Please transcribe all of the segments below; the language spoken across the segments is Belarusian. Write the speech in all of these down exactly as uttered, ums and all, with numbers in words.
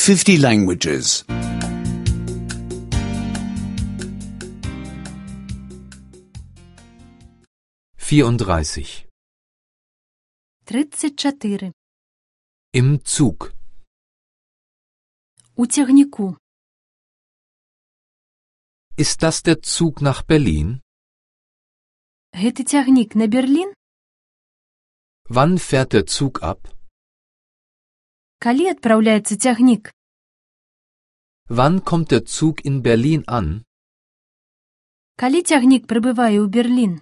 fifty languages. vierunddreißig. тридцять чотири. Im Zug. У тягніку. Ist das der Zug nach Berlin? Гэты цягнік на Берлін? Wann fährt der Zug ab? Калі адпраўляецца цягнік? Wann kommt der Zug in Berlin an? Калі цягнік прыбывае ў Берлін?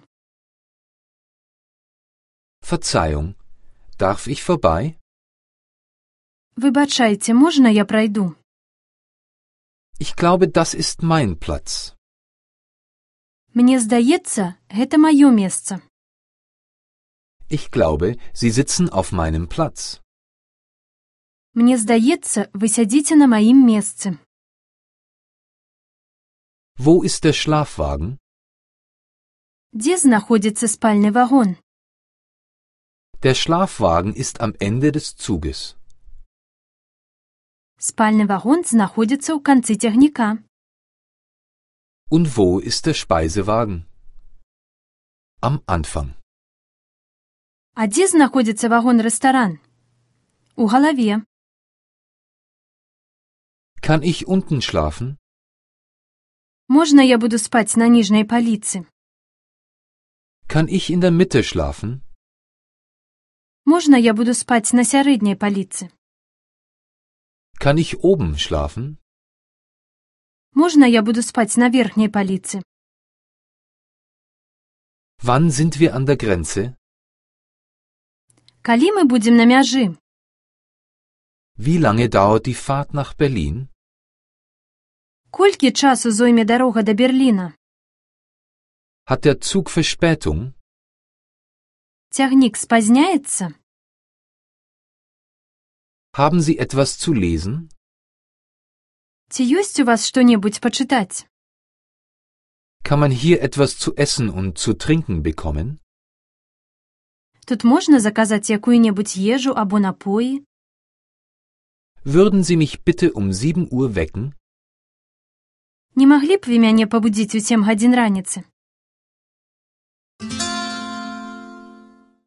Verzeihung, darf ich vorbei? Выбачайце, можна я прайду? Ich glaube, das ist mein Platz. Мне здаецца, гэта маё месца. Ich glaube, Sie sitzen auf meinem Platz. Мне здаецца, вы сядзіце на маім месцы. Wo ist der Schlafwagen? Дзе знаходзіцца спальны вагон? Der Schlafwagen ist am Ende des Zuges. Спальны вагон знаходзіцца ў канцы цягніка. Und wo ist der Speisewagen? Am Anfang. А дзе знаходзіцца вагон-рэстаран? У галаве. Kann ich unten schlafen? Можна я буду спаць на ніжняй паліцы? Kann ich in der Mitte schlafen? Можна я буду спаць на сярэдняй паліцы? Kann ich oben schlafen? Можна я буду спаць на верхняй паліцы? Wann sind wir an der Grenze? Калі мы будзем на мяжы? Wie lange dauert die Fahrt nach Berlin? Колькі часу зойме дарога да Берліна? Hat der Zug Verspätung? Цягнік спазняецца? Haben Sie etwas zu lesen? Ці ёсць у вас што-небудзь пачытаць? Kann man hier etwas zu essen und zu trinken bekommen? Тут можна заказаць якую-небудзь ежу або напоі? Würden Sie mich bitte um sieben Uhr wecken? Не маглі б вы мяне пабудзіць у сем гадзін раніцы?